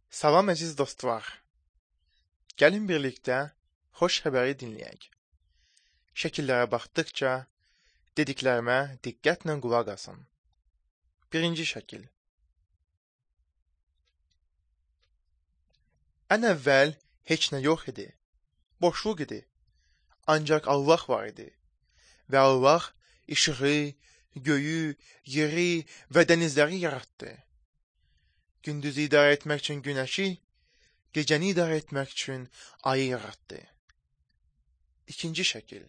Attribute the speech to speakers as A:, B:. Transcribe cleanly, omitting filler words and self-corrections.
A: Salam əziz dostlar. Gəlin birlikdə xoş xəbəri dinləyək. Şəkillərə baxdıqca dediklərimə diqqətlə qulaq asın. Birinci şəkil. Ən əvvəl heç nə yox idi. Boşluq idi. Ancaq Allah var idi. Və Allah işığı, göyü, yeri və dənizləri yaratdı. Gündüzü idarə etmək üçün günəşi, gecəni idarə etmək üçün ayı yaratdı. İkinci şəkil.